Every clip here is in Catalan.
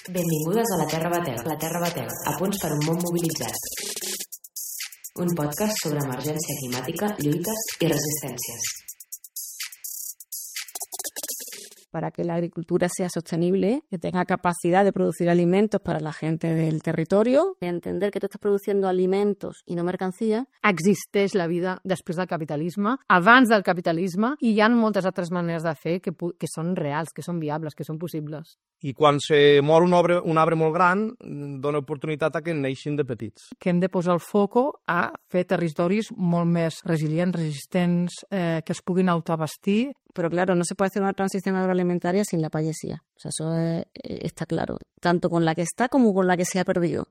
Benvingudes a La Terra Batega, a punts per un món mobilitzat. Un podcast sobre emergència climàtica, lluites i resistències. Para que la agricultura sea sostenible, que tenga capacidad de producir alimentos para la gente del territorio. Entender que tú estás produciendo alimentos i no mercancia. Existeix la vida després del capitalisme, abans del capitalisme, i hi ha moltes altres maneres de fer que són reals, que són viables, que són possibles. I quan se mor un arbre molt gran, dona oportunitat a que neixin de petits. Que hem de posar el foco a fer territoris molt més resilients, resistents, que es puguin autoabastir. Pero claro, no se puede hacer una transición agroalimentaria sin la payesía. O sea, eso está claro. Tanto con la que está como con la que se ha perdido.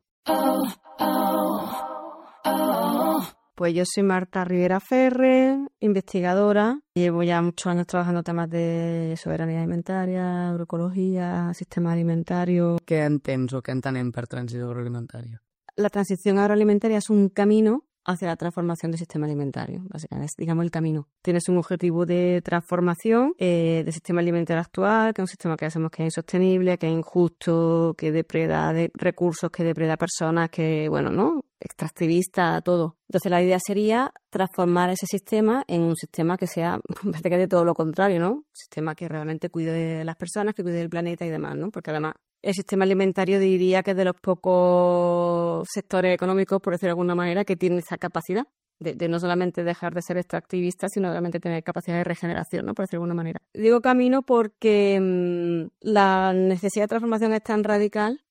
Pues yo soy Marta Rivera Ferre, investigadora. Llevo ya muchos años trabajando temas de soberanía alimentaria, agroecología, sistema alimentario. Què entens o què entenem per transició agroalimentària? La transición agroalimentaria es un camino hacia la transformación del sistema alimentario, básicamente, es, digamos, el camino. Tienes un objetivo de transformación del sistema alimentario actual, que es un sistema que hacemos que es insostenible, que es injusto, que depreda de recursos, que depreda personas, que, bueno, ¿no? Extractivista, todo. Entonces la idea sería transformar ese sistema en un sistema que sea, de todo lo contrario, ¿no? Un sistema que realmente cuide de las personas, que cuide del planeta y demás, ¿no? Porque además el sistema alimentario diría que es de los pocos sectores económicos, por decirlo de alguna manera, que tienen esa capacidad de no solamente dejar de ser extractivista, sino realmente tener capacidad de regeneración, ¿no? Por decirlo de alguna manera. Digo camino porque la necesidad de transformación es tan radical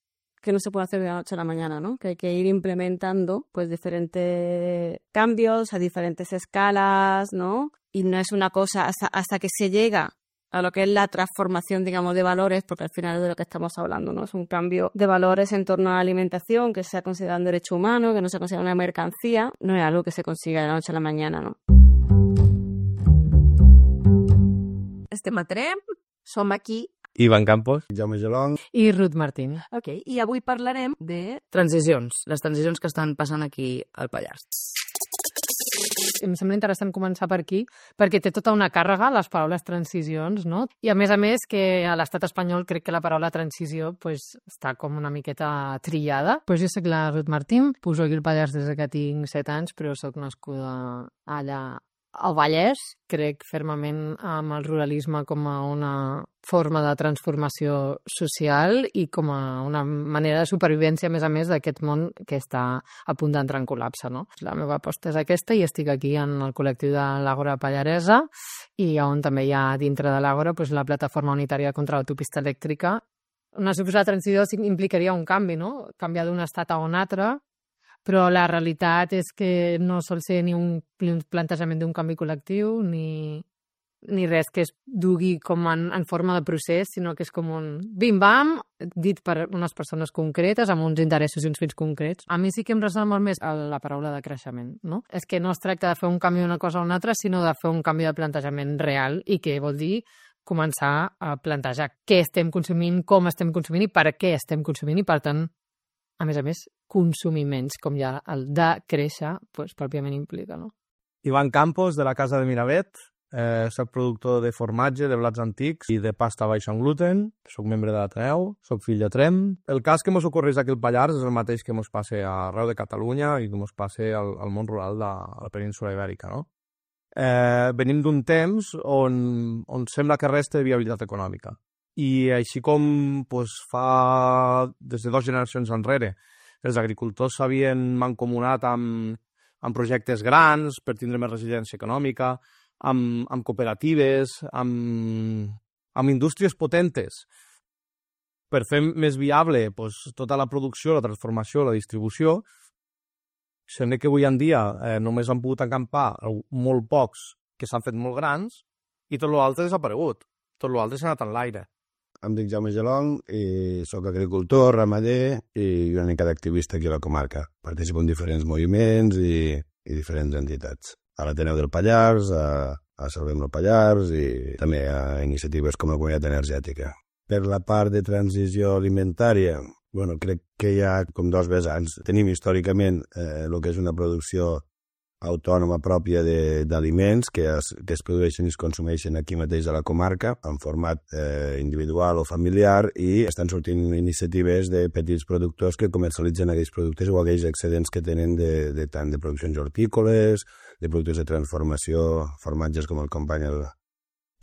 que no se puede hacer de la noche a la mañana, ¿no? Que hay que ir implementando pues diferentes cambios a diferentes escalas, ¿no? Y no es una cosa hasta que se llega a lo que es la transformación, digamos, de valores, porque al final es de lo que estamos hablando, ¿no? Es un cambio de valores en torno a la alimentación, que sea considerado un derecho humano, que no sea considerado una mercancía, no es algo que se consiga de la noche a la mañana, ¿no? Estem a Tremp, som aquí. Ivan Campos. Jaume Gelong. I Ruth Martín. Ok, i avui parlarem de transicions, les transicions que estan passant aquí al Pallars. Em sembla interessant començar per aquí, perquè té tota una càrrega les paraules transicions, no? I a més que a l'estat espanyol crec que la paraula transició pues, està com una miqueta trillada. Pues jo soc la Ruth Martín, pujo aquí al Pallars des que tinc 7 anys, però soc nascuda allà al Vallès. Crec fermament amb el ruralisme com a una forma de transformació social i com a una manera de supervivència, a més d'aquest món que està a punt d'entrar en col·lapse, no? La meva aposta és aquesta i estic aquí en el col·lectiu de l'Àgora Pallaresa i on també hi ha dintre de l'Àgora pues, la plataforma unitària contra l'autopista elèctrica. Una suposada transició implicaria un canvi, no? Canviar d'un estat a un altre, però la realitat és que no sol ser ni un plantejament d'un canvi col·lectiu ni res que es dugui com en forma de procés, sinó que és com un bim-bam, dit per unes persones concretes, amb uns interessos i uns fins concrets. A mi sí que em ressona molt més la paraula de creixement, no? És que no es tracta de fer un canvi d'una cosa a una altra, sinó de fer un canvi de plantejament real i que vol dir començar a plantejar què estem consumint, com estem consumint i per què estem consumint i, per tant, a més, consumir menys, com ja el de créixer, pues, pròpiament implica, no? Ivan Campos, de la Casa de Miravet. Soc productor de formatge, de blats antics i de pasta baixa en gluten. Soc membre de l'Ateneu, soc fill de Tremp. El cas que mos ocorreix aquí al Pallars és el mateix que mos passa arreu de Catalunya i que mos passa al món rural de la península ibèrica, no? Venim d'un temps on sembla que resta de viabilitat econòmica. I així com pues, fa des de 2 generacions enrere els agricultors s'havien mancomunat amb projectes grans per tindre més resiliència econòmica, amb cooperatives, amb indústries potentes, per fer més viable pues, tota la producció, la transformació, la distribució. Sembla que avui en dia només han pogut acampar molt pocs que s'han fet molt grans i tot l'altre ha desaparegut. Tot l'altre s'ha anat en l'aire. Em dic Jaume Gelong i soc agricultor, ramader i una mica d'activista aquí a la comarca. Participo en diferents moviments i diferents entitats. A l'Ateneu del Pallars, a Salvem el Pallars i també a iniciatives com la Comunitat Energètica. Per la part de transició alimentària, bueno, crec que hi ha com 2 vessants. Tenim històricament el que és una producció autònoma pròpia d'aliments que es produeixen i es consumeixen aquí mateix a la comarca, en format individual o familiar, i estan sortint iniciatives de petits productors que comercialitzen aquells productes o aquells excedents que tenen tant de produccions hortícoles, de productes de transformació, formatges com el company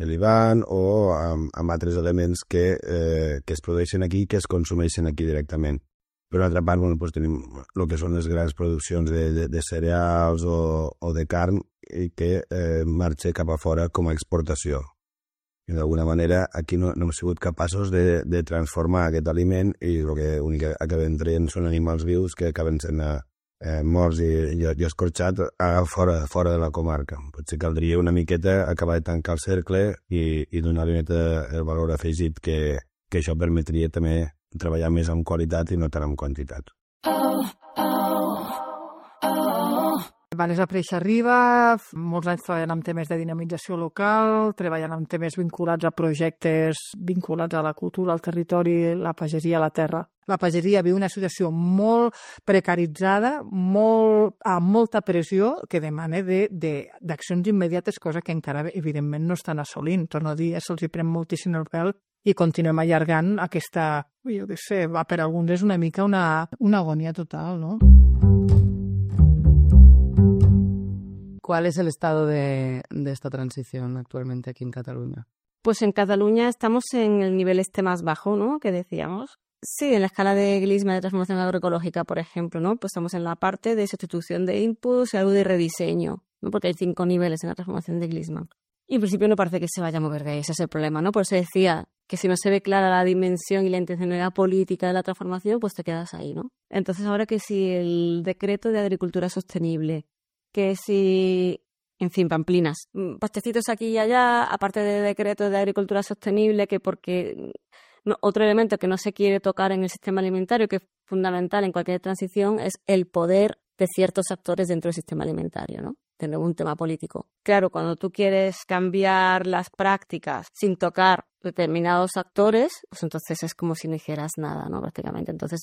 l'Ivan, o amb altres elements que es produeixen aquí i que es consumeixen aquí directament. Per una altra part, tenim el que són les grans produccions de cereals o de carn que marxa cap a fora com a exportació. I d'alguna manera aquí no hem sigut capaços de transformar aquest aliment i l'únic que acabem traient són animals vius que acaben sent morts i escorxats fora de la comarca. Potser caldria una miqueta acabar de tancar el cercle i donar-li el valor afegit que això permetria també treballar més amb qualitat i no tant amb quantitat. Van desaparèixer Riba, molts anys treballant amb temes de dinamització local, treballant amb temes vinculats a projectes vinculats a la cultura, al territori, la pagesia, la terra. La pageria viu una situació molt precaritzada, amb molta pressió, que demana d'accions immediates, cosa que encara, evidentment, no estan assolint. Torno a dir, se'ls hi pren moltíssim el pèl i continuem allargant aquesta, jo què sé, per alguns és una mica una agonia total, ¿no? ¿Cuál es el estado de esta transición actualmente aquí en Cataluña? Pues en Cataluña estamos en el nivel más bajo, ¿no? Que decíamos. Sí, en la escala de Glisman de transformación agroecológica, por ejemplo, ¿no? Pues estamos en la parte de sustitución de inputs y algo de rediseño, ¿no? Porque hay 5 niveles en la transformación de Glisman. Y en principio no parece que se vaya a mover de ahí, ese es el problema, ¿no? Por eso decía que si no se ve clara la dimensión y la intencionalidad política de la transformación, pues te quedas ahí, ¿no? Entonces ahora que si el decreto de agricultura sostenible, que si, en fin, pamplinas, pastecitos aquí y allá, aparte de decreto de agricultura sostenible, que porque otro elemento que no se quiere tocar en el sistema alimentario, que es fundamental en cualquier transición, es el poder de ciertos actores dentro del sistema alimentario, ¿no? Tener un tema político. Claro, cuando tú quieres cambiar las prácticas sin tocar determinados actores, pues entonces es como si no hicieras nada, ¿no? Prácticamente. Entonces,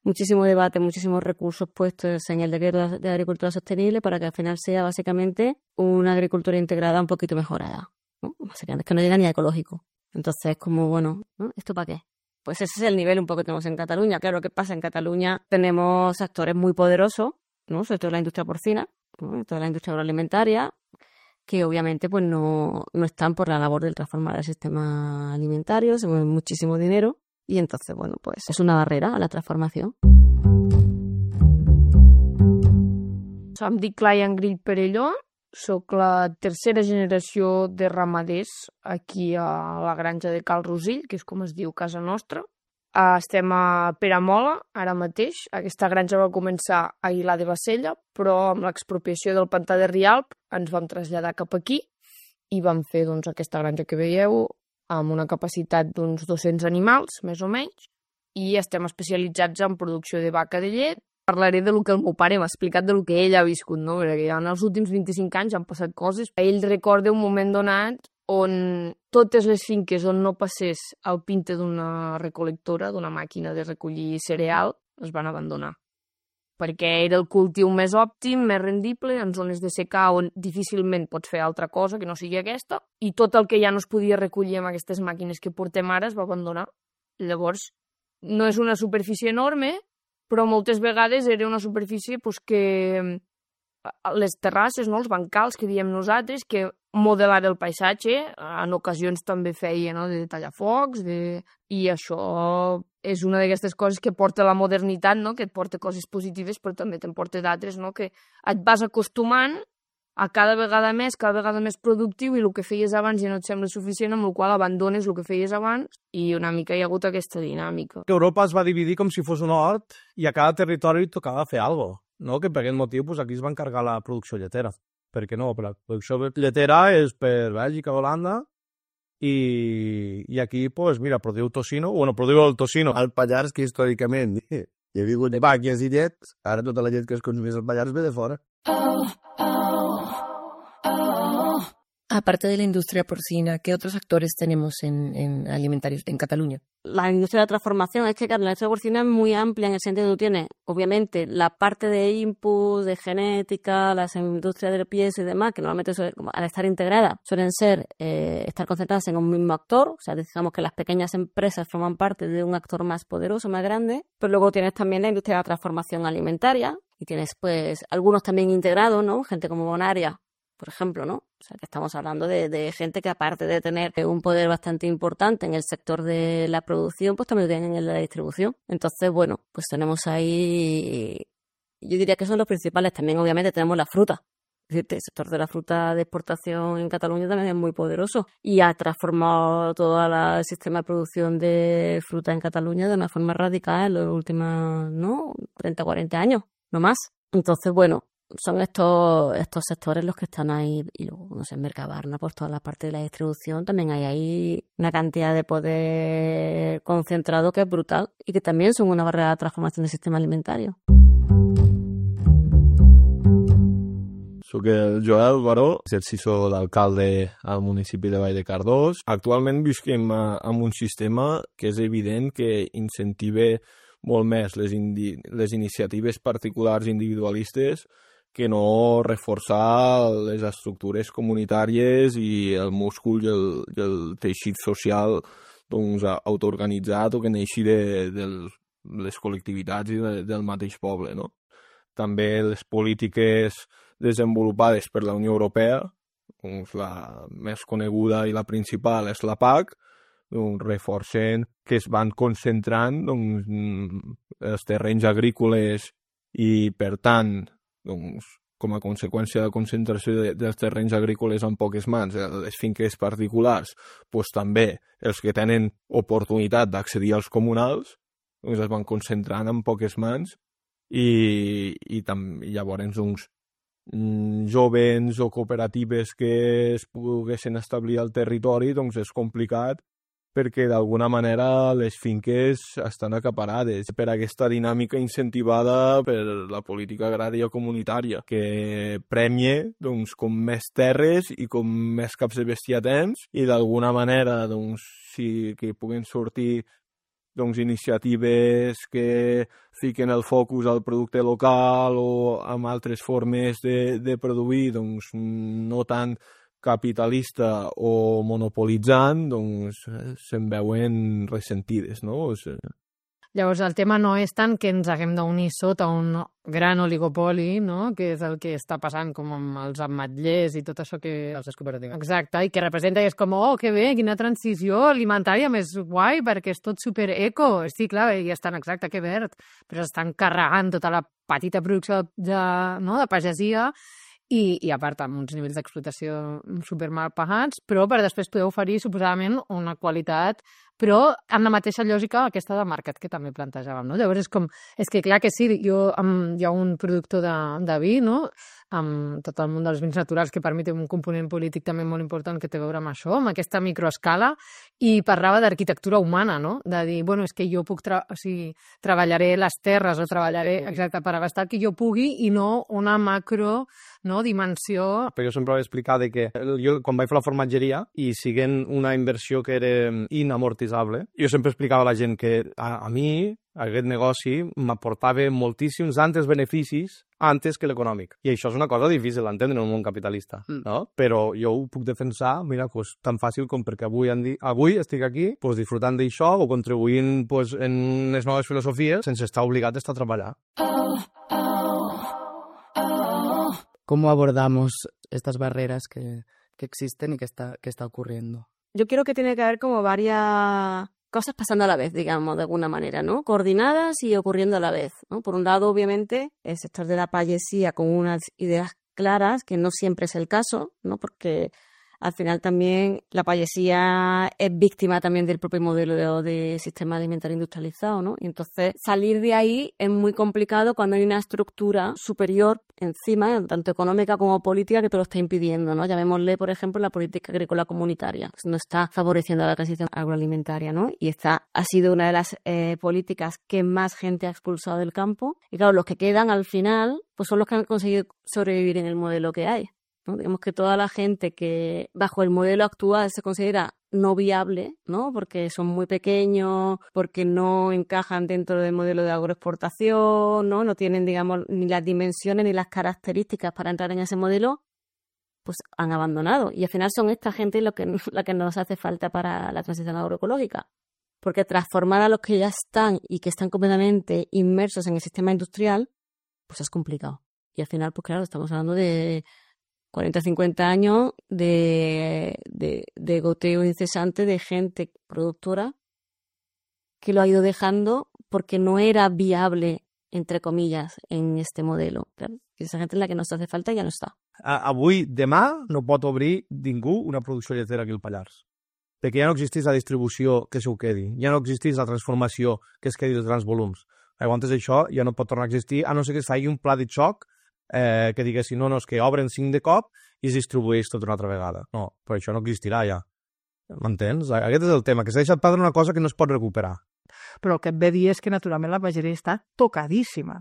muchísimo debate, muchísimos recursos puestos en el decreto de agricultura sostenible para que al final sea básicamente una agricultura integrada un poquito mejorada, ¿no? Básicamente es que no llega ni a ecológico. Entonces, como, bueno, ¿no? ¿Esto para qué? Pues ese es el nivel un poco que tenemos en Cataluña. Claro, ¿qué pasa? En Cataluña tenemos actores muy poderosos, ¿no? Sobre todo la industria porcina, ¿no? Toda la industria agroalimentaria, que obviamente pues no están por la labor de transformar el sistema alimentario, se mueve muchísimo dinero y entonces, bueno, pues es una barrera a la transformación. Em dic Laia Engrill Perelló, soc la tercera generació de ramaders aquí a la granja de Cal Rosill, que és com es diu casa nostra. Estem a Peramola, ara mateix. Aquesta granja va començar a Aguilar de Bassella, però amb l'expropiació del pantà de Rialp ens vam traslladar cap aquí i vam fer aquesta granja que veieu amb una capacitat d'uns 200 animals, més o menys, i estem especialitzats en producció de vaca de llet. Parlaré del que el meu pare m'ha explicat del que ell ha viscut, no? Perquè en els últims 25 anys han passat coses. Ell recorda un moment donat on totes les finques on no passés el pinte d'una recolectora, d'una màquina de recollir cereal, es van abandonar. Perquè era el cultiu més òptim, més rendible, en zones de secà on difícilment pots fer altra cosa que no sigui aquesta, i tot el que ja no es podia recollir amb aquestes màquines que portem ara es va abandonar. Llavors, no és una superfície enorme, però moltes vegades era una superfície que les terrasses, no, els bancals que diem nosaltres, que modelar el paisatge, en ocasions també feia, no, de tallafocs, i això és una d'aquestes coses que porta la modernitat, no, que et porta coses positives, però també te'n porta d'altres, no, que et vas acostumant a cada vegada més productiu, i el que feies abans ja no et sembla suficient, amb el qual abandones el que feies abans, i una mica hi ha hagut aquesta dinàmica. Europa es va dividir com si fos un hort i a cada territori tocava fer alguna cosa, no? Que per aquest motiu aquí es va encargar la producció lletera. Per què no? La producció lletera és per Bèlgica, Holanda, i aquí, mira, produïu tocino, produïu el tocino. Al Pallars, que històricament hi ha hagut de vàquies i llet, ara tota la llet que es consumeix al Pallars ve de fora. Aparte de la industria porcina, ¿qué otros actores tenemos en alimentarios en Cataluña? La industria de la transformación, es que claro, la industria porcina es muy amplia en el sentido que tú tienes, obviamente, la parte de input, de genética, las industrias del pienso y demás, que normalmente al estar integradas suelen estar concentradas en un mismo actor, o sea, digamos que las pequeñas empresas forman parte de un actor más poderoso, más grande, pero luego tienes también la industria de la transformación alimentaria y tienes pues algunos también integrados, ¿no? Gente como Bonaria, por ejemplo, ¿no? O sea, que estamos hablando de gente que aparte de tener un poder bastante importante en el sector de la producción, pues también lo tienen en la distribución. Entonces, bueno, pues tenemos ahí, yo diría que son los principales. También, obviamente, tenemos la fruta. Es decir, el sector de la fruta de exportación en Cataluña también es muy poderoso y ha transformado todo el sistema de producción de fruta en Cataluña de una forma radical en los últimos, ¿no? 30, 40 años, no más. Entonces, bueno, son estos sectores los que están ahí. Y luego, no sé, en Mercabarna, pues toda la parte de la distribución, también hay ahí una cantidad de poder concentrado que es brutal y que también son una barrera de transformación del sistema alimentario. Soc el Joel Baró, exercicio d'alcalde al municipi de Vall de Cardós. Actualment visquem en un sistema que és evident que incentiva molt més les iniciatives particulars individualistes que no reforçar les estructures comunitàries i el múscul i el teixit social doncs, autoorganitzat o que neixi de les col·lectivitats i del mateix poble, no? També les polítiques desenvolupades per la Unió Europea, doncs la més coneguda i la principal és la PAC, doncs reforcen que es van concentrant doncs, els terrenys agrícoles i, per tant, doncs, com a conseqüència de la concentració dels terrenys agrícoles en poques mans, les finques particulars, doncs també els que tenen oportunitat d'accedir als comunals, doncs es van concentrant en poques mans i llavors doncs, jovens o cooperatives que es poguessin establir al territori, doncs és complicat perquè d'alguna manera les finques estan acaparades per aquesta dinàmica incentivada per la política agrària comunitària, que premia doncs, com més terres i com més caps de bestiar tens i d'alguna manera doncs, sí que puguen sortir doncs, iniciatives que fiquen el focus al producte local o amb altres formes de produir, doncs, no tan capitalista o monopolitzant, doncs se'n veuen ressentides, no? O sigui... Llavors, el tema no és tant que ens haguem d'unir sota un gran oligopoli, no? Que és el que està passant com amb els ametllers i tot això que... Les cooperatives. Exacte, i que representa i és com, oh, que bé, quina transició alimentària més guai, perquè és tot supereco. Sí, clar, i estan exacte, que verd, però estan carregant tota la petita producció de pagesia i a part amb uns nivells d'explotació supermal pagats, però per després poder oferir suposadament una qualitat, però amb la mateixa lògica aquesta de mercat que també plantejàvem, no? Llavors és que clar que sí, hi ha un productor de vi, no? Amb tot el món dels vins naturals que permet un component polític també molt important que té a veure amb això, amb aquesta microescala, i parlava d'arquitectura humana, no? De dir, bueno, és que jo puc treballaré les terres o treballaré exacte per abastar que jo pugui i no una macro, no, dimensió. Però jo sempre vaig explicar que jo quan vaig fer la formatgeria i siguent una inversió que era inamortitzable, jo sempre explicava a la gent que a mi aquest negoci m'aportava moltíssims altres beneficis antes que l'econòmic. I això és una cosa difícil d'entendre en un món capitalista, no? Però jo ho puc defensar, mira, pues, tan fàcil com perquè avui estic aquí pues, disfrutant d'això o contribuint pues, en les noves filosofies sense estar obligat a estar a treballar. ¿Cómo abordamos estas barreras que existen y que está ocurriendo? Yo creo que tiene que haber como varias cosas pasando a la vez, digamos, de alguna manera, ¿no? Coordinadas y ocurriendo a la vez, ¿no? Por un lado, obviamente, el sector de la payesía con unas ideas claras, que no siempre es el caso, ¿no? Porque al final también la payesía es víctima también del propio modelo de sistema alimentario industrializado, ¿no? Y entonces salir de ahí es muy complicado cuando hay una estructura superior encima, tanto económica como política, que te lo está impidiendo, ¿no? Llamémosle, por ejemplo, la política agrícola comunitaria, que no está favoreciendo la transición agroalimentaria, ¿no? Y esta ha sido una de las políticas que más gente ha expulsado del campo. Y claro, los que quedan al final, pues son los que han conseguido sobrevivir en el modelo que hay. ¿no? Digamos que toda la gente que bajo el modelo actual se considera no viable, ¿no? Porque son muy pequeños, porque no encajan dentro del modelo de agroexportación, ¿no? No tienen, digamos, ni las dimensiones ni las características para entrar en ese modelo, pues han abandonado. Y al final son esta gente la que nos hace falta para la transición agroecológica. Porque transformar a los que ya están y que están completamente inmersos en el sistema industrial, pues es complicado. Y al final, pues claro, estamos hablando de 40, 50 años de goteo incesante de gente productora que lo ha ido dejando porque no era viable, entre comillas, en este modelo. Claro, y esa gente es la que nos hace falta i ja no està. Avui, demà, no pot obrir ningú una producció lletera aquí al Pallars. Perquè ja no existeix la distribució que s'ho quedi, ja no existeix la transformació que es quedi dels grans volums. Llavors això ja no pot tornar a existir, a no ser que es faci un pla de xoc que diguessin, no, és que obren 5 de cop i es distribueix tot una altra vegada. No, però això no existirà ja. M'entens? Aquest és el tema, que s'ha deixat perdre una cosa que no es pot recuperar. Però el que et ve a dir és que naturalment la pageria està tocadíssima,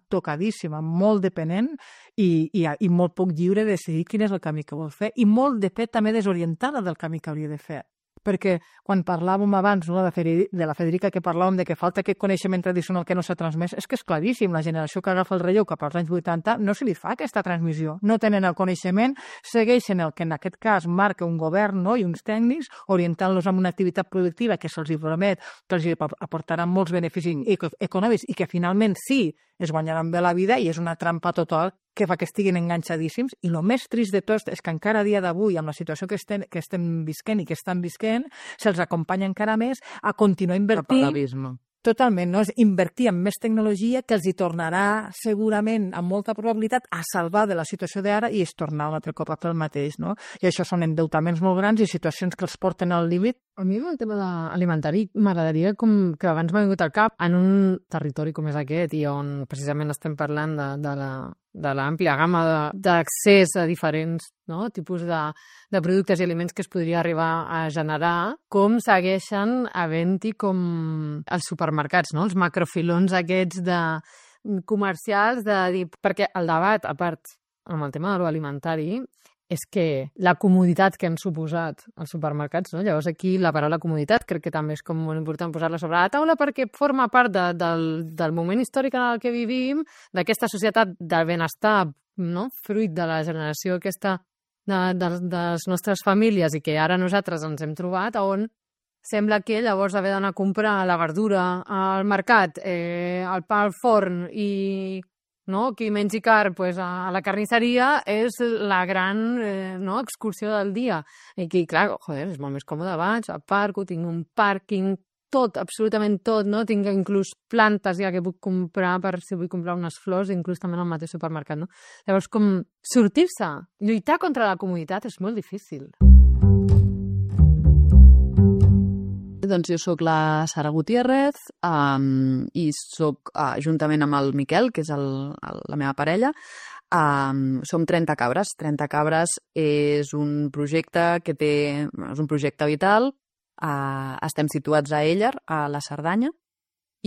molt dependent i molt poc lliure de decidir quin és el camí que vol fer i molt de fet també desorientada del camí que hauria de fer. Perquè quan parlàvem abans, no, de la Federica, que parlàvem de que falta aquest coneixement tradicional que no s'ha transmès, és que és claríssim, la generació que agafa el relleu cap als anys 80 no se li fa aquesta transmissió, no tenen el coneixement, segueixen el que en aquest cas marca un govern, no, i uns tècnics, orientant-los a una activitat productiva que se'ls promet que els aportaran molts beneficis econòmics i que finalment sí es guanyaran bé la vida i és una trampa total que fa que estiguin enganxadíssims. I el més trist de tot és que encara a dia d'avui, amb la situació que estem visquent i que estan visquent, se'ls acompanya encara més a continuar invertint. Totalment, no? És invertir en més tecnologia que els hi tornarà segurament, amb molta probabilitat, a salvar de la situació d'ara i es tornar un altre cop a fer el mateix, no? I això són endeutaments molt grans i situacions que els porten al límit. A mi el tema alimentari m'agradaria que abans m'ha vingut al cap en un territori com és aquest i on precisament estem parlant de l'àmplia gamma d'accés a diferents tipus de productes i aliments que es podria arribar a generar, com segueixen havent-hi com els supermercats, els macrofilons aquests comercials de dir... Perquè el debat, a part, amb el tema de l'alimentari, és que la comoditat que han suposat els supermercats, no? Llavors aquí la paraula comoditat crec que també és com molt important posar-la sobre la taula perquè forma part del moment històric en el que vivim, d'aquesta societat del benestar, no? Fruit de la generació aquesta de les nostres famílies i que ara nosaltres ens hem trobat, on sembla que llavors haver d'anar a comprar la verdura al mercat, el pa al forn i... No? Qui mengi carn a la carnisseria és la gran excursió del dia. I aquí, clar, és molt més còmode abans, aparco, tinc un pàrquing, tot, absolutament tot, no? Tinc inclús plantes ja que puc comprar per si vull comprar unes flors, inclús també en el mateix supermercat, no? Llavors, com sortir-se, lluitar contra la comoditat és molt difícil. Doncs jo sóc la Sara Gutiérrez i sóc, juntament amb el Miquel, que és la meva parella, som 30 cabres. 30 cabres és un projecte és un projecte vital. Estem situats a Éller, a la Cerdanya,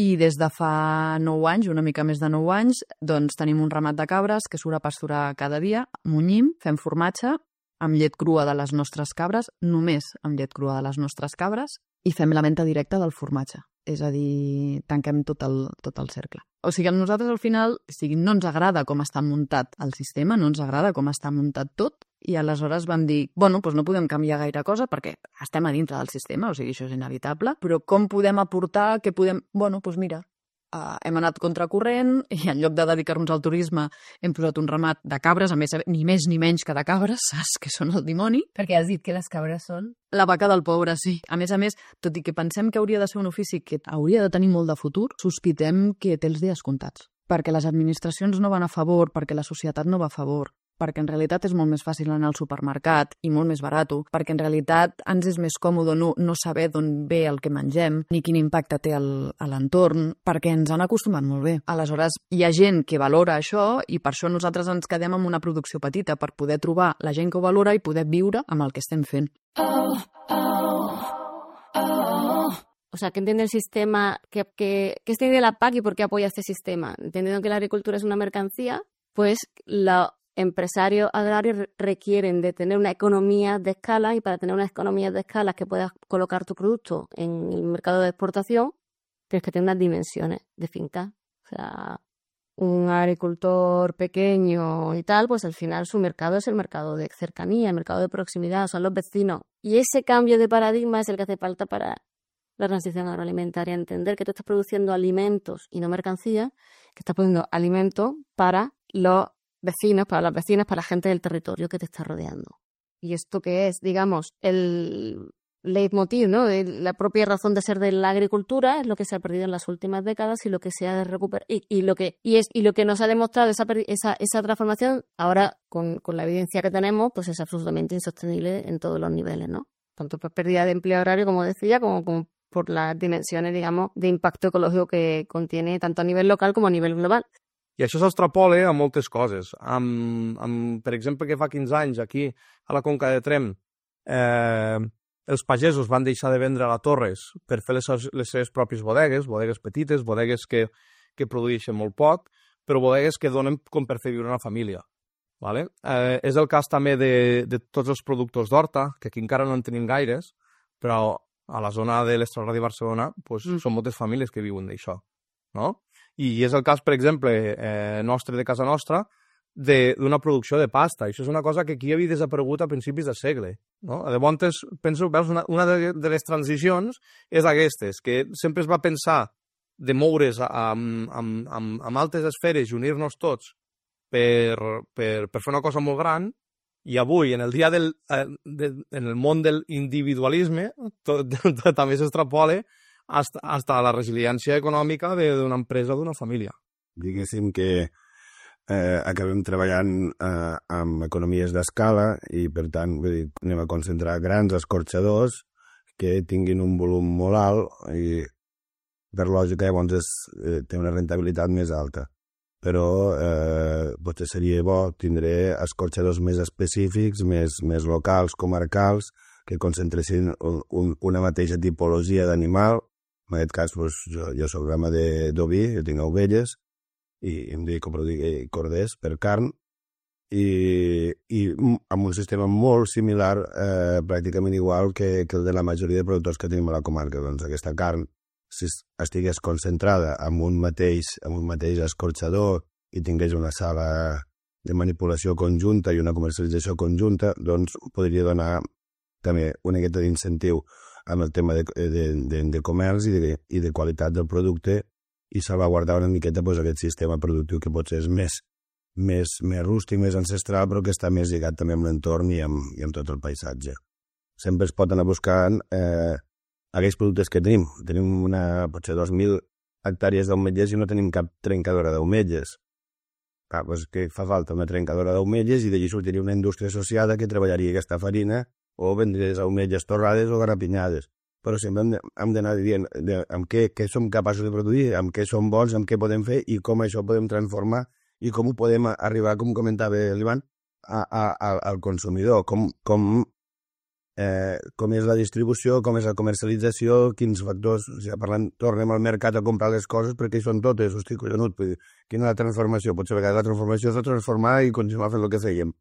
i des de fa 9 anys, una mica més de 9 anys, doncs tenim un ramat de cabres que surt a pasturar cada dia, munyim, fem formatge, amb llet crua de les nostres cabres, només amb llet crua de les nostres cabres, i fem la venda directa del formatge. És a dir, tanquem tot el cercle. O sigui, a nosaltres al final no ens agrada com està muntat el sistema, no ens agrada com està muntat tot, i aleshores vam dir, bueno, doncs no podem canviar gaire cosa perquè estem a dintre del sistema, o sigui, això és inevitable, però com podem aportar, què podem... Bueno, doncs mira, hem anat contracorrent i en lloc de dedicar-nos al turisme hem posat un ramat de cabres, a més, ni més ni menys que de cabres, saps? Que són el dimoni. Perquè has dit que les cabres són... La vaca del pobre, sí. A més, tot i que pensem que hauria de ser un ofici que hauria de tenir molt de futur, sospitem que té els dies comptats. Perquè les administracions no van a favor, perquè la societat no va a favor, perquè en realitat és molt més fàcil anar al supermercat i molt més barat, perquè en realitat ens és més còmode no saber d'on ve el que mengem, ni quin impacte té a l'entorn, perquè ens han acostumat molt bé. Aleshores, hi ha gent que valora això i per això nosaltres ens quedem amb una producció petita, per poder trobar la gent que ho valora i poder viure amb el que estem fent. O sea, que entiende el sistema, que entiende la PAC y por qué apoya este sistema. Entendiendo que la agricultura es una mercancía, pues la empresarios agrarios requieren de tener una economía de escala, y para tener una economía de escala que puedas colocar tu producto en el mercado de exportación, tienes que tener unas dimensiones de finca. O sea, un agricultor pequeño y tal, pues al final su mercado es el mercado de cercanía, el mercado de proximidad, son los vecinos. Y ese cambio de paradigma es el que hace falta para la transición agroalimentaria, entender que tú estás produciendo alimentos y no mercancías, que estás produciendo alimentos para los vecinos, para las vecinas, para la gente del territorio que te está rodeando. Y esto que es, digamos, el leitmotiv, ¿no?, de la propia razón de ser de la agricultura, es lo que se ha perdido en las últimas décadas y lo que se ha de recuperar y lo que nos ha demostrado esa transformación ahora con la evidencia que tenemos, pues es absolutamente insostenible en todos los niveles, ¿no? Tanto por pérdida de empleo agrario, como decía, como por las dimensiones, digamos, de impacto ecológico que contiene tanto a nivel local com a nivell global. I això s'extrapola a moltes coses. Per exemple, que fa 15 anys aquí, a la Conca de Tremp, els pagesos van deixar de vendre a la Torres per fer les seves pròpies bodegues petites, bodegues que produeixen molt poc, però bodegues que donen com per fer viure una família. Vale? És el cas també de tots els productors d'horta, que aquí encara no en tenim gaires, però a la zona de l'Extraradi de Barcelona pues, són moltes famílies que viuen d'això. No? I és el cas, per exemple, nostre de casa nostra, d'una producció de pasta. Això és una cosa que aquí havia desaparegut a principis de segle. No? Llavors, penso, veus, una de les transicions és aquestes, que sempre es va pensar de moure's amb altres esferes i unir-nos tots per fer una cosa molt gran, i avui, en el dia en el món del individualisme, també s'extrapola hasta la resiliència econòmica d'una empresa o d'una família. Diguéssim que acabem treballant amb economies d'escala i, per tant, anem a concentrar grans escorxadors que tinguin un volum molt alt i, per lògica, llavors té una rentabilitat més alta. Però potser seria bo tindre escorxadors més específics, més locals, comarcals, que concentressin una mateixa tipologia d'animal. En aquest cas, jo soc ramader d'oví, jo tinc ovelles, i em dedico a produir corders per carn, i amb un sistema molt similar, pràcticament igual que el de la majoria de productors que tenim a la comarca. Doncs aquesta carn, si estigués concentrada en un mateix escorxador i tingués una sala de manipulació conjunta i una comercialització conjunta, doncs podria donar també una miqueta d'incentiu amb el tema de comerç i de qualitat del producte i salvaguardar una miqueta aquest sistema productiu que potser és més rústic, més ancestral, però que està més lligat també amb l'entorn i amb tot el paisatge. Sempre es pot anar buscant aquells productes que tenim. Tenim potser 2.000 hectàrees d'ametllers i no tenim cap trencadora d'ametllers. Doncs que fa falta una trencadora d'ametllers i d'allí sortiria una indústria associada que treballaria aquesta farina o vendries ametlles torrades o garapinyades. Però sempre hem d'anar dient amb què som capaços de produir, amb què som bons, amb què podem fer i com això podem transformar i com ho podem arribar, com comentava l'Ivan, al consumidor. Com és la distribució, com és la comercialització, quins factors, tornem al mercat a comprar les coses perquè hi són totes, hosti, collonut, quina és la transformació? Potser a vegades la transformació és transformar i continuar fent el que fèiem.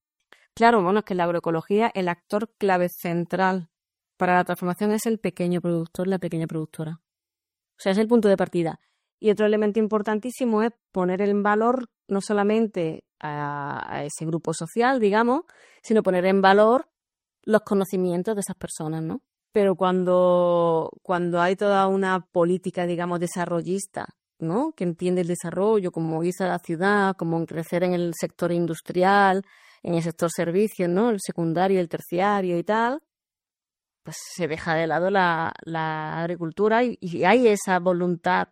Claro, bueno, es que en la agroecología el actor clave central para la transformación es el pequeño productor, la pequeña productora. O sea, es el punto de partida. Y otro elemento importantísimo es poner en valor no solamente a ese grupo social, digamos, sino poner en valor los conocimientos de esas personas, ¿no? Pero cuando hay toda una política, digamos, desarrollista, ¿no?, que entiende el desarrollo como irse a la ciudad, como crecer en el sector industrial, en el sector servicios, ¿no?, el secundario, el terciario y tal, pues se deja de lado la agricultura y hay esa voluntad,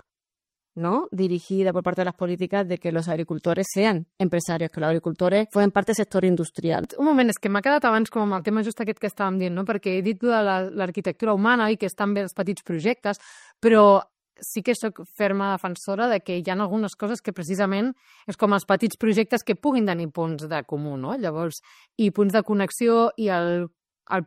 ¿no?, dirigida por parte de las políticas de que los agricultores sean empresarios, que los agricultores formen parte del sector industrial. Un moment, és que m'ha quedat abans com amb el tema just aquest que estàvem dient, no?, perquè he dit de l'arquitectura humana i que estan bé els petits projectes, però sí que sóc ferma defensora de que hi ha algunes coses que precisament és com els petits projectes que puguin tenir punts de comú, no? Llavors, i punts de connexió i el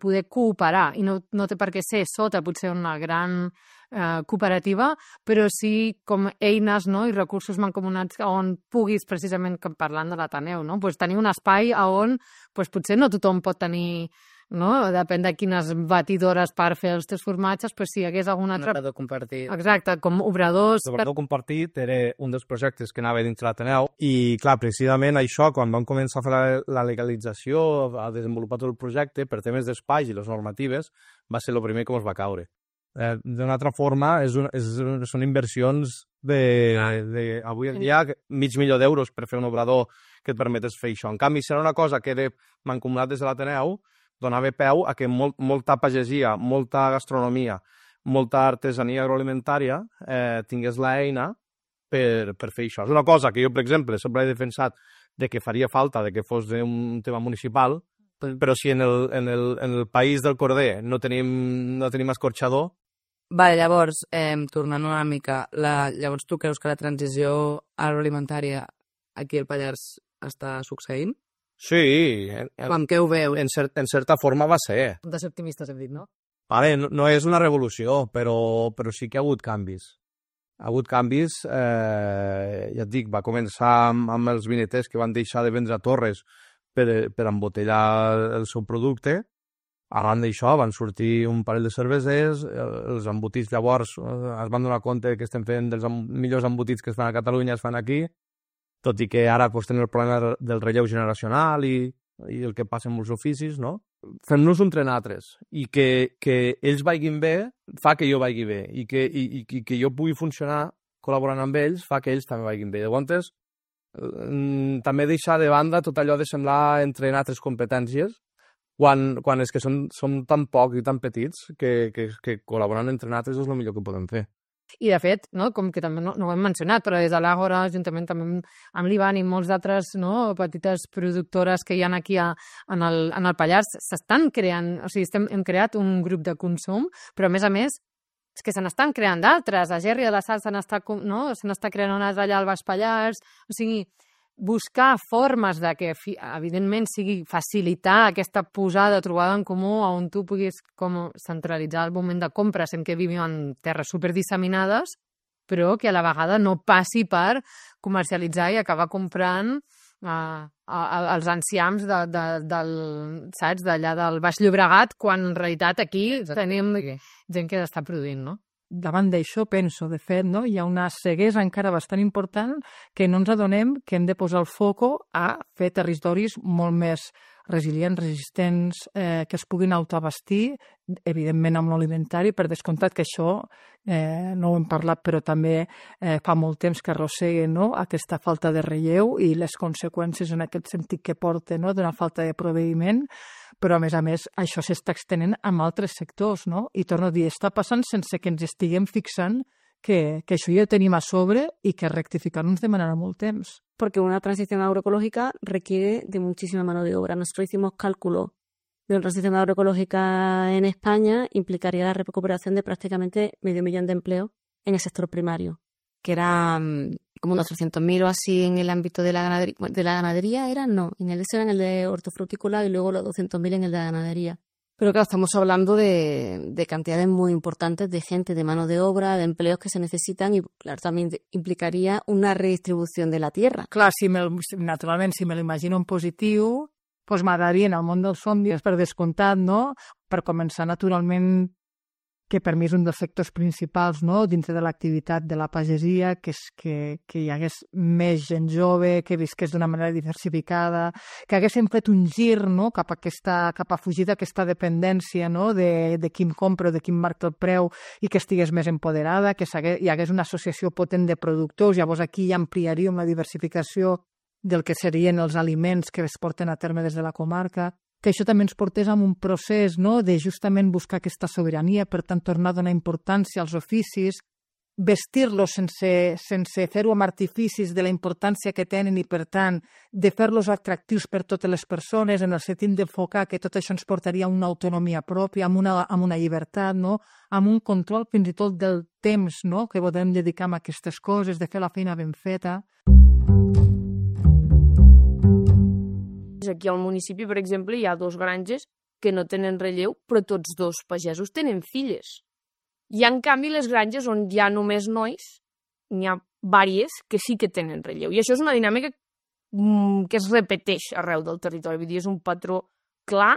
poder cooperar, i no té per què ser sota potser una gran cooperativa, però sí com eines, no? I recursos mancomunats on puguis, precisament parlant de l'Ateneu, no? Pues tenir un espai on pues, potser no tothom pot tenir, no? Depèn de quines batidores per fer els teus formatges, pues, si hi hagués algun altre... Un obrador compartit. Exacte, com obradors... L'obrador compartit era un dels projectes que anava dintre l'Ateneu i, clar, precisament això, quan vam començar a fer la legalització, a desenvolupar tot el projecte, per temes d'espais i les normatives, va ser el primer que ens va caure. D'una altra forma, són inversions avui en dia $500,000 per fer un obrador que et permetés fer això. En canvi, si era una cosa que era mancomunat des de l'Ateneu, donava peu a que molta pagesia, molta gastronomia, molta artesania agroalimentària tingués l'eina per fer això. És una cosa que jo, per exemple, sempre he defensat de que faria falta de que fos un tema municipal, però si en el país del Corder no tenim escorxador... Vale, llavors, tornant una mica, llavors tu creus que la transició agroalimentària aquí al Pallars està succeint? Sí. Com que ho veu? En certa forma va ser. De ser optimistes hem dit, no? Vale, no és una revolució, però sí que ha hagut canvis. Ha hagut canvis, ja et dic, va començar amb els vineters que van deixar de vendre torres per embotellar el seu producte. Arran d'això van sortir un parell de cervesers, els embotits llavors es van donar compte que estem fent dels millors embotits que es fan a Catalunya, es fan aquí, tot i que ara tenim el problema del relleu generacional i el que passa amb els oficis, no? Fem-nos entre nosaltres i que ells vagin bé fa que jo vagi bé i que jo pugui funcionar col·laborant amb ells fa que ells també vagin bé. Llavors, també deixar de banda tot allò de semblar entre nosaltres competències quan és que som tan pocs i tan petits que col·laborant entre nosaltres és el millor que podem fer. I, de fet, no, com que també no ho hem mencionat, però des de l'Àgora, juntament també amb l'Ivan i molts d'altres petites productores que hi ha aquí en el Pallars, s'estan creant, o sigui, hem creat un grup de consum, però a més, és que se n'estan creant d'altres. A Gerri de la Sal se n'està creant una altra allà al Baix Pallars. O sigui, buscar formes de que, evidentment, sigui facilitar aquesta posada, trobada en comú, on tu puguis com centralitzar el moment de compra, sent que vivim en terres superdisseminades, però que a la vegada no passi per comercialitzar i acabar comprant els enciams saps, d'allà del Baix Llobregat, quan en realitat aquí tenim gent que està produint, no? Davant d'això penso, de fet, no? Hi ha una ceguesa encara bastant important que no ens adonem que hem de posar el foco a fer territoris molt més resilients, resistents, que es puguin autoabastir, evidentment amb l'alimentari, per descomptat que això no ho hem parlat, però també fa molt temps que arrosseguen, no? Aquesta falta de relleu i les conseqüències en aquest sentit que porta, no? D'una falta de proveïment, però a més, això s'està extenent amb altres sectors, no? I torno a dir, està passant sense que ens estiguem fixant que això ja ho tenim a sobre y que rectificar-ho ens demanarà molt temps. Porque una transición agroecológica requiere de muchísima mano de obra. Nosotros hicimos cálculo de una transición agroecológica en España, implicaría la recuperación de prácticamente 500.000 de empleos en el sector primario, que era como unos 300.000 o así en el ámbito de la ganadería. ¿De la ganadería era? No, en el era en el de hortofrutícola y luego los 200.000 en el de la ganadería. Pero claro, estamos hablando de cantidades muy importantes de gente, de mano de obra, de empleos que se necesitan y, claro, también implicaría una redistribució de la tierra. Clar, naturalment, si me l'imagino en positiu, doncs m'agradaria en el món dels somnis, per descomptat, no? Per començar, naturalment, que per mi és un dels sectors principals, no? Dintre de l'activitat de la pagesia, que hi hagués més gent jove, que visqués d'una manera diversificada, que haguéssim fet un gir, no? cap a fugir d'aquesta dependència, no? de qui em compra o de qui em marca el preu i que estigués més empoderada, que hi hagués una associació potent de productors. Llavors aquí ja ampliaríem la diversificació del que serien els aliments que es porten a terme des de la comarca, que això també ens portés a un procés, no? De justament buscar aquesta sobirania, per tant tornar a donar importància als oficis, vestir-los sense fer-ho amb artificis de la importància que tenen i, per tant, de fer-los atractius per totes les persones, en el sentit d'enfocar que tot això ens portaria a una autonomia pròpia, amb una llibertat, no? Amb un control fins i tot del temps, no? Que podem dedicar a aquestes coses, de fer la feina ben feta. Aquí al municipi, per exemple, hi ha 2 granges que no tenen relleu, però tots 2 pagesos tenen filles. I, en canvi, les granges on hi ha només nois, n'hi ha vàries que sí que tenen relleu. I això és una dinàmica que es repeteix arreu del territori. Vull dir, és un patró clar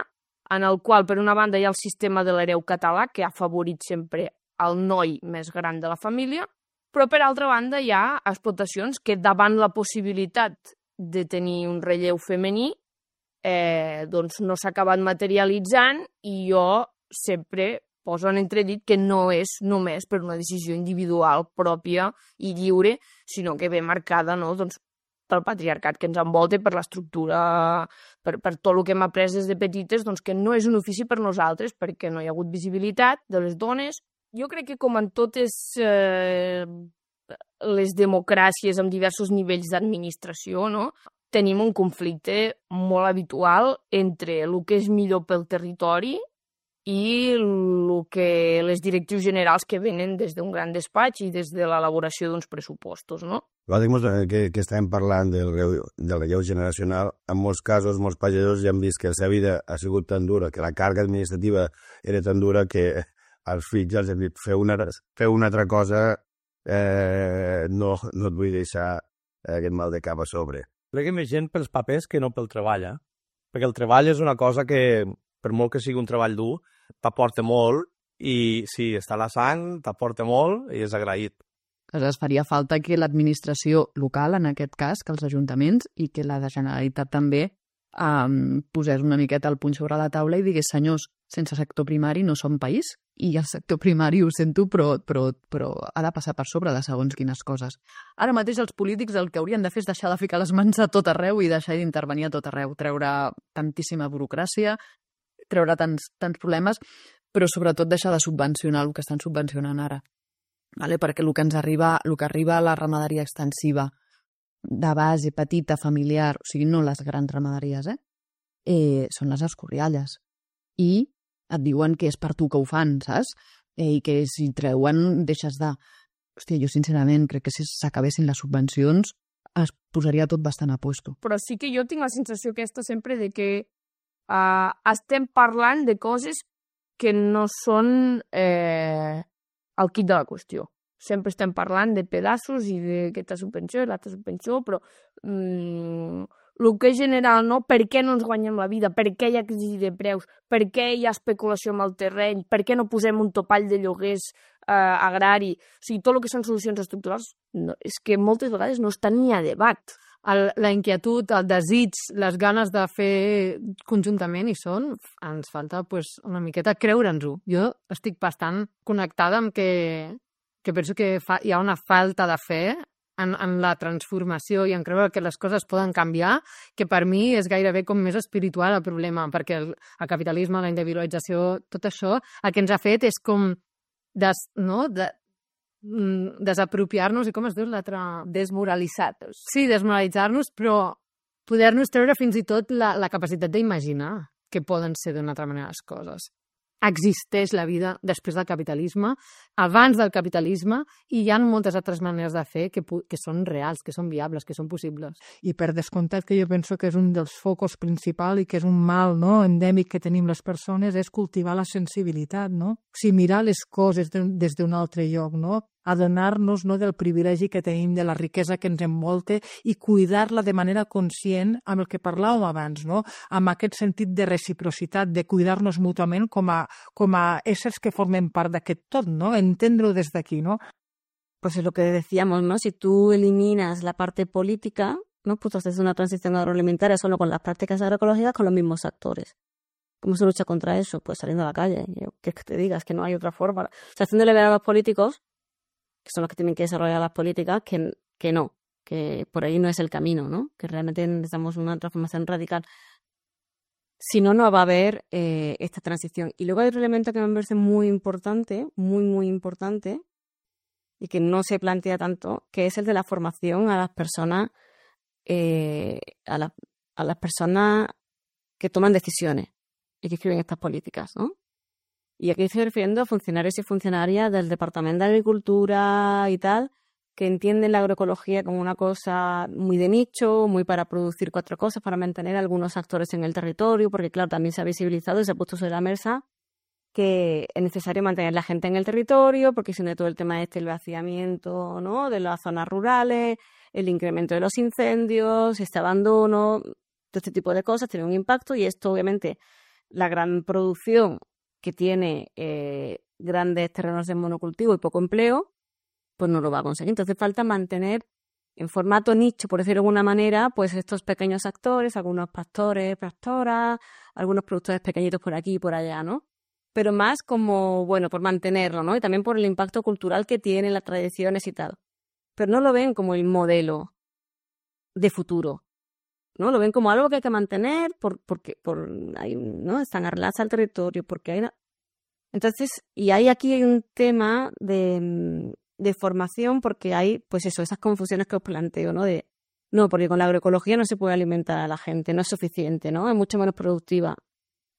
en el qual, per una banda, hi ha el sistema de l'hereu català, que ha afavorit sempre el noi més gran de la família, però, per altra banda, hi ha explotacions que, davant la possibilitat de tenir un relleu femení, doncs no s'ha acabat materialitzant, i jo sempre poso en entredit que no és només per una decisió individual pròpia i lliure, sinó que ve marcada, no, doncs, pel patriarcat que ens envolta, per l'estructura, per tot el que hem après des de petites, doncs, que no és un ofici per nosaltres, perquè no hi ha hagut visibilitat de les dones. Jo crec que, com en totes les democràcies amb diversos nivells d'administració, no, tenim un conflicte molt habitual entre el que és millor pel territori i el que les directrius generals que venen des d'un gran despatx i des de l'elaboració d'uns pressupostos, no? Que estem parlant del relleu generacional. En molts casos, molts pagesos ja han vist que la seva vida ha sigut tan dura, que la càrrega administrativa era tan dura que als fills els hem dit feu una altra cosa, no et vull deixar aquest mal de cap a sobre. Crec que més gent pels papers que no pel treball, perquè el treball és una cosa que, per molt que sigui un treball dur, t'aporta molt, i si està a la sang, t'aporta molt i és agraït. Aleshores, faria falta que l'administració local, en aquest cas, que els ajuntaments i que la de Generalitat també posés una miqueta el puny sobre la taula i digués, senyors, sense sector primari no som país, i el sector primari, ho sento, però ha de passar per sobre de segons quines coses. Ara mateix els polítics el que haurien de fer és deixar de ficar les mans a tot arreu i deixar d'intervenir a tot arreu, treure tantíssima burocràcia, treure tants problemes, però sobretot deixar de subvencionar el que estan subvencionant ara. Perquè el que arriba a la ramaderia extensiva de base, petita, familiar, o sigui, no les grans ramaderies, són les escorrialles. I et diuen que és per tu que ho fan, saps? I que si treuen, deixes de... Hòstia, jo sincerament crec que si s'acabessin les subvencions es posaria tot bastant a puesto. Però sí que jo tinc la sensació aquesta sempre de que estem parlant de coses que no són el quid de la qüestió. Sempre estem parlant de pedaços i d'aquesta subvenció i l'altra subvenció, però el que és general, no? Per què no ens guanyem la vida? Per què hi ha crisi de preus? Per què hi ha especulació amb el terreny? Per què no posem un topall de lloguers agrari? O sigui, tot el que són solucions estructurals és que moltes vegades no estan ni a debat. La inquietud, el desig, les ganes de fer conjuntament hi són, ens falta una miqueta creure'ns-ho. Jo estic bastant connectada amb que penso que hi ha una falta de fe en la transformació i en creure que les coses poden canviar, que per mi és gairebé com més espiritual el problema, perquè el capitalisme, la individualització, tot això, el que ens ha fet és com desapropiar-nos, i com es diu l'altre? Desmoralitzar-nos. Sí, desmoralitzar-nos, però poder-nos treure fins i tot la capacitat d'imaginar que poden ser d'una altra manera les coses. Existeix la vida després del capitalisme, abans del capitalisme, i hi ha moltes altres maneres de fer que són reals, que són viables, que són possibles. I per descomptat que jo penso que és un dels focus principals i que és un mal, no, endèmic que tenim les persones, és cultivar la sensibilitat, no? O sigui, mirar les coses des d'un altre lloc, no? Adonar-nos, no, del privilegi que tenim, de la riquesa que ens envolta i cuidar-la de manera conscient amb el que parlàvem abans, no? Amb aquest sentit de reciprocitat, de cuidar-nos mútuament com a éssers que formen part d'aquest tot, ¿no? Entendre-ho des d'aquí, ¿no? Pues es lo que decíamos, ¿no? Si tú eliminas la parte política, ¿no? Pues haces una transición agroalimentaria solo con las prácticas agroecológicas con los mismos actores. ¿Cómo se lucha contra eso? Pues saliendo a la calle. ¿Qué es que te digas? Que no hay otra forma. O sea, haciéndole ver a los políticos, que son los que tienen que desarrollar las políticas, que no, que por ahí no es el camino, ¿no? Que realmente necesitamos una transformación radical. Si no, no va a haber esta transición. Y luego hay otro elemento que me parece muy importante, muy importante, y que no se plantea tanto, que es el de la formación a las personas, a las personas que toman decisiones y que escriben estas políticas, ¿no? Y aquí estoy refiriendo a funcionarios y funcionarias del Departamento de Agricultura y tal, que entienden la agroecología como una cosa muy de nicho, muy para producir 4 cosas, para mantener algunos actores en el territorio, porque claro, también se ha visibilizado y se ha puesto sobre la mesa que es necesario mantener la gente en el territorio, porque si no todo el tema el vaciamiento, ¿no?, de las zonas rurales, el incremento de los incendios, este abandono, todo este tipo de cosas tiene un impacto, y esto obviamente la gran producción que tiene grandes terrenos de monocultivo y poco empleo, pues no lo va a conseguir. Entonces falta mantener en formato nicho, por decirlo de alguna manera, pues estos pequeños actores, algunos pastores, pastoras, algunos productores pequeñitos por aquí y por allá, ¿no? Pero más como, bueno, por mantenerlo, ¿no? Y también por el impacto cultural que tiene, las tradiciones y tal. Pero no lo ven como el modelo de futuro, ¿no? Lo ven como algo que hay que mantener porque ¿no?, están arraigadas al territorio, porque hay Entonces, y aquí hay un tema de formación, porque hay, pues eso, esas confusiones que os planteo, ¿no? No, porque con la agroecología no se puede alimentar a la gente, no es suficiente, ¿no? Es mucho menos productiva.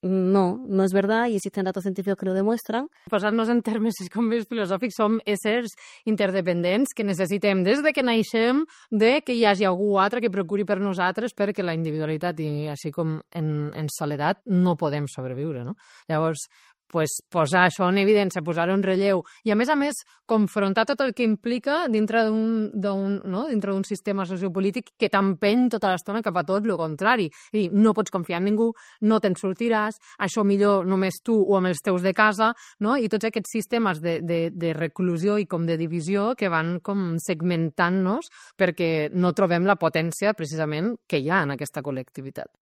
No és verdad, i existen datos científics que ho demostren. Posant-nos en termes com més filosòfics, som éssers interdependents que necessitem, des de que naixem, de que hi hagi algú altre que procuri per nosaltres, perquè la individualitat i així com en soledat no podem sobreviure, no? Llavors, pues, posar això en evidència, posar-ho en relleu i, a més, confrontar tot el que implica dintre d'un sistema sociopolític que t'empeny tota l'estona cap a tot el contrari. I no pots confiar en ningú, no te'n sortiràs, això millor només tu o amb els teus de casa, no? I tots aquests sistemes de reclusió i com de divisió que van com segmentant-nos perquè no trobem la potència precisament que hi ha en aquesta col·lectivitat.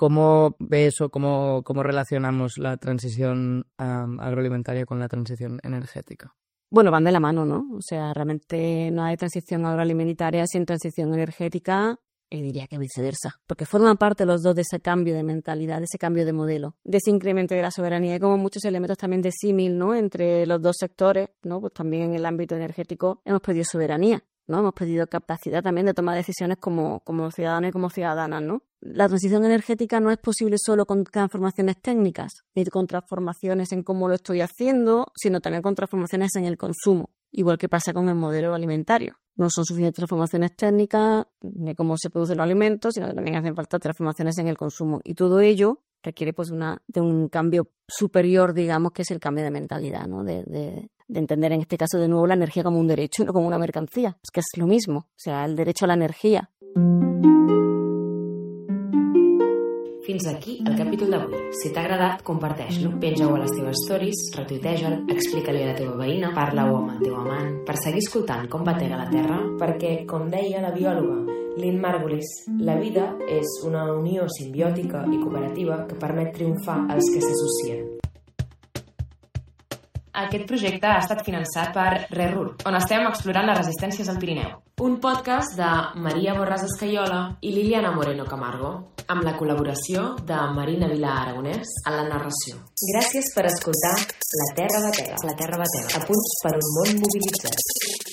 ¿Cómo ves o cómo relacionamos la transición agroalimentaria con la transición energética? Bueno, van de la mano, ¿no? O sea, realmente no hay transición agroalimentaria sin transición energética, y diría que viceversa, porque forman parte los dos de ese cambio de mentalidad, de ese cambio de modelo, de ese incremento de la soberanía. Hay como muchos elementos también de símil, ¿no?, entre los dos sectores, ¿no? Pues también en el ámbito energético hemos perdido soberanía, ¿no? Hemos perdido capacidad también de tomar decisiones como ciudadanos y como ciudadanas, ¿no? La transición energética no es posible solo con transformaciones técnicas, ni con transformaciones en cómo lo estoy haciendo, sino también con transformaciones en el consumo, igual que pasa con el modelo alimentario. No son suficientes transformaciones técnicas ni cómo se producen los alimentos, sino que también hacen falta transformaciones en el consumo. Y todo ello requiere pues de un cambio superior, digamos, que es el cambio de mentalidad, ¿no? De entender en este caso de nuevo la energía como un derecho y no como una mercancía. Es que es lo mismo, o sea, el derecho a la energía. Fins aquí el capítol d'avui. Si t'ha agradat, comparteix-lo. Penja-ho a les teves stories, retuiteja-lo, explica-li a la teva veïna, parla-ho amb el teu amant, per seguir escoltant com batega la terra, perquè, com deia la biòloga Lynn Margulis, la vida és una unió simbiòtica i cooperativa que permet triomfar als que s'associen. Aquest projecte ha estat finançat per RERUR, on estem explorant les resistències al Pirineu. Un podcast de Maria Borràs Escaiola i Liliana Moreno Camargo, amb la col·laboració de Marina Vilà Aragonès a la narració. Gràcies per escoltar La Terra Batega, a punts per un món mobilitzat.